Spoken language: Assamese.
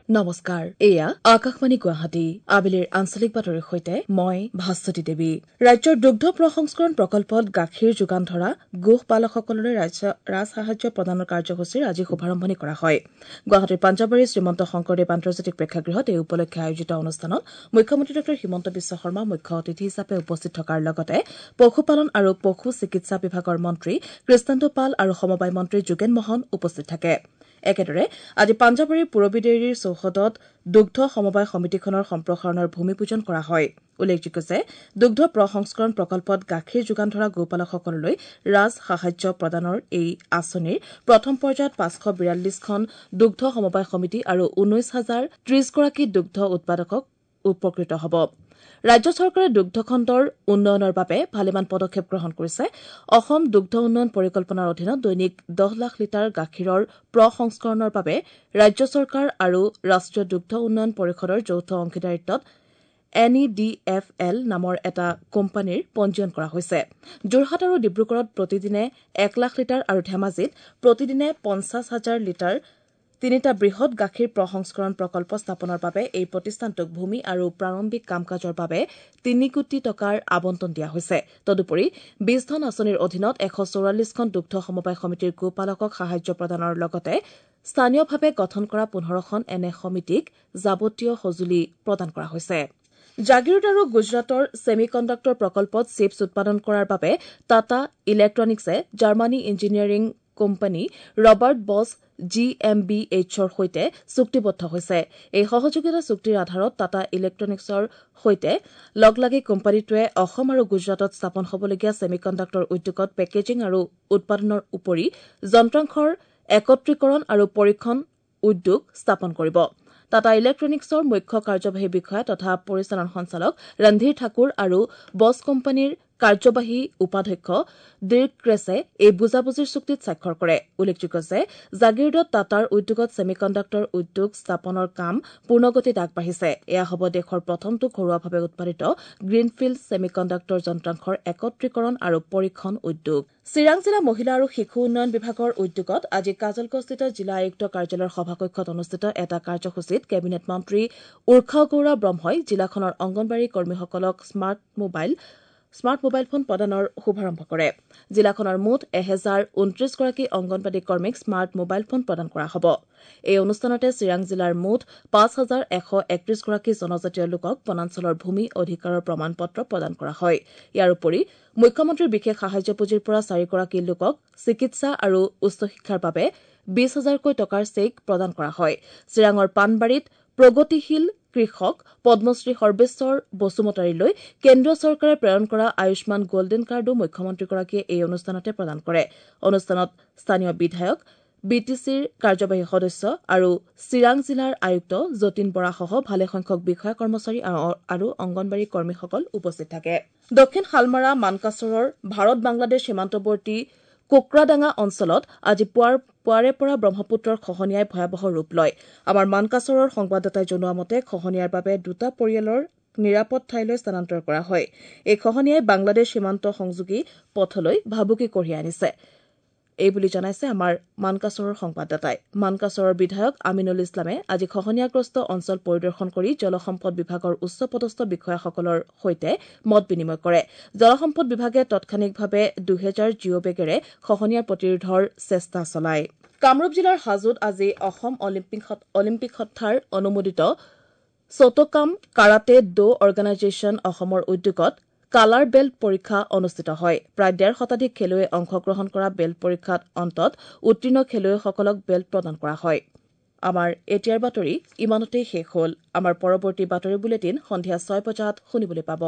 নমস্কাৰ, এয়া আকাশবাণী গুৱাহাটী। আবেলিৰ আঞ্চলিক বাতৰিৰ সৈতে মই ভাস্বতী দেৱী। ৰাজ্যৰ দুগ্ধ প্ৰসংস্কৰণ প্ৰকল্পত গাখীৰ যোগান ধৰা গোপালকসকললৈ ৰাজসাহায্য প্ৰদানৰ কাৰ্যসূচীৰ আজি শুভাৰম্ভণি কৰা হয়। গুৱাহাটীৰ পাঞ্জাবাৰীৰ শ্ৰীমন্ত শংকৰদেৱ আন্তৰ্জাতিক প্ৰেক্ষাগৃহত এই উপলক্ষে আয়োজিত অনুষ্ঠানত মুখ্যমন্ত্ৰী ডাঃ হিমন্ত বিশ্ব শৰ্মা মুখ্য অতিথি হিচাপে উপস্থিত থকাৰ লগতে পশুপালন আৰু পশু চিকিৎসা বিভাগৰ মন্ত্ৰী কৃষ্ণেন্দু পাল আৰু সমবায় মন্ত্ৰী যোগেন মহন উপস্থিত থাকে। একেদৰে আজি পাঞ্জাবাৰীৰ পূৰবী ডেইৰীৰ চৌহদত দুগ্ধ সমবায় সমিতিখনৰ সম্প্ৰসাৰণৰ ভূমি পূজন কৰা হয়। উল্লেখযোগ্য যে দুগ্ধ প্ৰসংস্কৰণ প্ৰকল্পত গাখীৰ যোগান ধৰা গোপালকসকললৈ ৰাজসাহায্য প্ৰদানৰ এই আঁচনিৰ প্ৰথম পৰ্যায়ত 542খন দুগ্ধ সমবায় সমিতি আৰু 19,030 গৰাকী দুগ্ধ উৎপাদকক উপকৃত হ'ব। ৰাজ্য চৰকাৰে দুগ্ধ খণ্ডৰ উন্নয়নৰ বাবে ভালেমান পদক্ষেপ গ্ৰহণ কৰিছে। অসম দুগ্ধ উন্নয়ন পৰিকল্পনাৰ অধীনত দৈনিক 10 লাখ লিটাৰ গাখীৰৰ প্ৰসংস্কৰণৰ বাবে ৰাজ্য চৰকাৰ আৰু ৰাষ্ট্ৰীয় দুগ্ধ উন্নয়ন পৰিষদৰ যৌথ অংশীদাৰিত্বত N E D F L নামৰ এটা কোম্পানীৰ পঞ্জীয়ন কৰা হৈছে। যোৰহাট আৰু ডিব্ৰুগড়ত প্ৰতিদিনে 1 লাখ লিটাৰ আৰু ধেমাজিত প্ৰতিদিনে 50,000 লিটাৰ তিনিটা বৃহৎ গাখীৰ প্ৰসংস্কৰণ প্ৰকল্প স্থাপনৰ বাবে এই প্ৰতিষ্ঠানটোক ভূমি আৰু প্ৰাৰম্ভিক কাম-কাজৰ বাবে 3 কোটি টকাৰ আবণ্টন দিয়া হৈছে। তদুপৰি বীজধন আঁচনিৰ অধীনত 144খন দুগ্ধ সমবায় সমিতিৰ গোপালকক সাহায্য প্ৰদানৰ লগতে স্থানীয়ভাৱে গঠন কৰা 15খন এনে সমিতিক যাৱতীয় সঁজুলি প্ৰদান কৰা হৈছে। জাগিৰোড আৰু গুজৰাটৰ ছেমি কণ্ডাক্টৰ প্ৰকল্পত চিপছ উৎপাদন কৰাৰ বাবে Tata ইলেক্ট্ৰনিক্সে Germany engineering company Robert Bosch G M B এইচৰ সৈতে চুক্তিবদ্ধ হৈছে। এই সহযোগিতা চুক্তিৰ আধাৰত টাটা ইলেক্ট্ৰনিক্সৰ সৈতে লগ লাগি কোম্পানীটোৱে অসম আৰু গুজৰাটত স্থাপন হ'বলগীয়া ছেমি কণ্ডাক্টৰ উদ্যোগত পেকেজিং আৰু উৎপাদনৰ উপৰি যন্ত্ৰাংশৰ একত্ৰীকৰণ আৰু পৰীক্ষণ উদ্যোগ স্থাপন কৰিব। টাটা ইলেক্ট্ৰনিক্সৰ মুখ্য কাৰ্যবাহী বিষয়া তথা পৰিচালন সঞ্চালক ৰণধীৰ ঠাকুৰ আৰু বছ কোম্পানীৰ কাৰ্যবাহী উপাধ্যক্ষ ডিৰ্ক ক্ৰেছে এই বুজাবুজিৰ চুক্তিত স্বাক্ষৰ কৰে। উল্লেখযোগ্য যে জাগিৰোডত টাটাৰ উদ্যোগত ছেমি কণ্ডাক্টৰ উদ্যোগ স্থাপনৰ কাম পূৰ্ণগতিত আগবাঢ়িছে। এয়া হ'ব দেশৰ প্ৰথমটো ঘৰুৱাভাৱে উৎপাদিত গ্ৰীণফিল্ড ছেমি কণ্ডাক্টৰ যন্ত্ৰাংশৰ একত্ৰীকৰণ আৰু পৰীক্ষণ উদ্যোগ। চিৰাং জিলা মহিলা আৰু শিশু উন্নয়ন বিভাগৰ উদ্যোগত আজি কাজলগাঁওস্থিত জিলা আয়ুক্ত কাৰ্যালয়ৰ সভাকক্ষত অনুষ্ঠিত এটা কাৰ্যসূচীত কেবিনেট মন্ত্ৰী উৰ্খাও গৌৰা ব্ৰহ্মই জিলাখনৰ অংগনবাড়ী কৰ্মীসকলক স্মাৰ্ট মোবাইল ফোন প্ৰদানৰ শুভাৰম্ভ কৰে। জিলাখনৰ মুঠ 1029 গৰাকী অংগনবাড়ী কৰ্মীক স্মাৰ্ট মোবাইল ফোন প্ৰদান কৰা হ'ব। এই অনুষ্ঠানতে চিৰাং জিলাৰ মুঠ 5,131 গৰাকী জনজাতীয় লোকক বনাঞ্চলৰ ভূমি অধিকাৰৰ প্ৰমাণ পত্ৰ প্ৰদান কৰা হয়। ইয়াৰ উপৰি মুখ্যমন্ত্ৰীৰ বিশেষ সাহায্য পুঁজিৰ পৰা 4 গৰাকী লোকক চিকিৎসা আৰু উচ্চ শিক্ষাৰ বাবে 20,000কৈ টকাৰ চেক প্ৰদান কৰা হয়। চিৰাঙৰ পাণবাৰীত প্ৰগতিশীল কৃষক পদ্মশ্ৰী সৰ্বেশ্বৰ বসুমতাৰীলৈ কেন্দ্ৰীয় চৰকাৰে প্ৰেৰণ কৰা আয়ুষ্মান গল্ডেন কাৰ্ডো মুখ্যমন্ত্ৰীগৰাকীয়ে এই অনুষ্ঠানতে প্ৰদান কৰে। অনুষ্ঠানত স্থানীয় বিধায়ক, বি টি চিৰ কাৰ্যবাহী সদস্য আৰু চিৰাং জিলাৰ আয়ুক্ত যতীন বৰাসহ ভালেসংখ্যক বিষয়া কৰ্মচাৰী আৰু অংগনবাড়ী কৰ্মীসকল উপস্থিত থাকে। দক্ষিণ শালমাৰা মানকাচৰৰ ভাৰত বাংলাদেশ সীমান্তৱৰ্তী কোকৰাডাঙা অঞ্চলত আজি পুৱাৰে পৰা ব্ৰহ্মপুত্ৰৰ খহনীয়াই ভয়াৱহ ৰূপ লয়। আমাৰ মানকাচৰৰ সংবাদদাতাই জনোৱা মতে খহনীয়াৰ বাবে দুটা পৰিয়ালৰ নিৰাপদ ঠাইলৈ স্থানান্তৰ কৰা হয়। এই খহনীয়াই বাংলাদেশ সীমান্ত সংযোগী পথলৈ ভাবুকি কঢ়িয়াই আনিছে এই বুলি জনাইছে আমাৰ মানকাচৰৰ সংবাদদাতাই। মানকাচৰৰ বিধায়ক আমিনুল ইছলামে আজি খহনীয়াগ্ৰস্ত অঞ্চল পৰিদৰ্শন কৰি জলসম্পদ বিভাগৰ উচ্চপদস্থ বিষয়াসকলৰ সৈতে মত বিনিময় কৰে। জলসম্পদ বিভাগে তাৎক্ষণিকভাৱে 2000 জিঅ' বেগেৰে খহনীয়া প্ৰতিৰোধৰ চেষ্টা চলায়। কামৰূপ জিলাৰ হাজোত আজি অসম অলিম্পিক সত্তাৰ অনুমোদিত চটকাম কাৰাটে ড' অৰ্গেনাইজেশ্যন অসমৰ উদ্যোগত কালাৰ বেল্ট পৰীক্ষা অনুষ্ঠিত হয়। প্ৰায় 1.5 শতাধিক খেলুৱৈয়ে অংশগ্ৰহণ কৰা বেল্ট পৰীক্ষাত অন্তত উত্তীৰ্ণ খেলুৱৈসকলক বেল্ট প্ৰদান কৰা হয়। আমাৰ এতিয়াৰ বাতৰি ইমানতেই শেষ হ'ল। আমাৰ পৰৱৰ্তী বাতৰি বুলেটিন সন্ধিয়া 6 বজাত শুনিবলৈ পাব।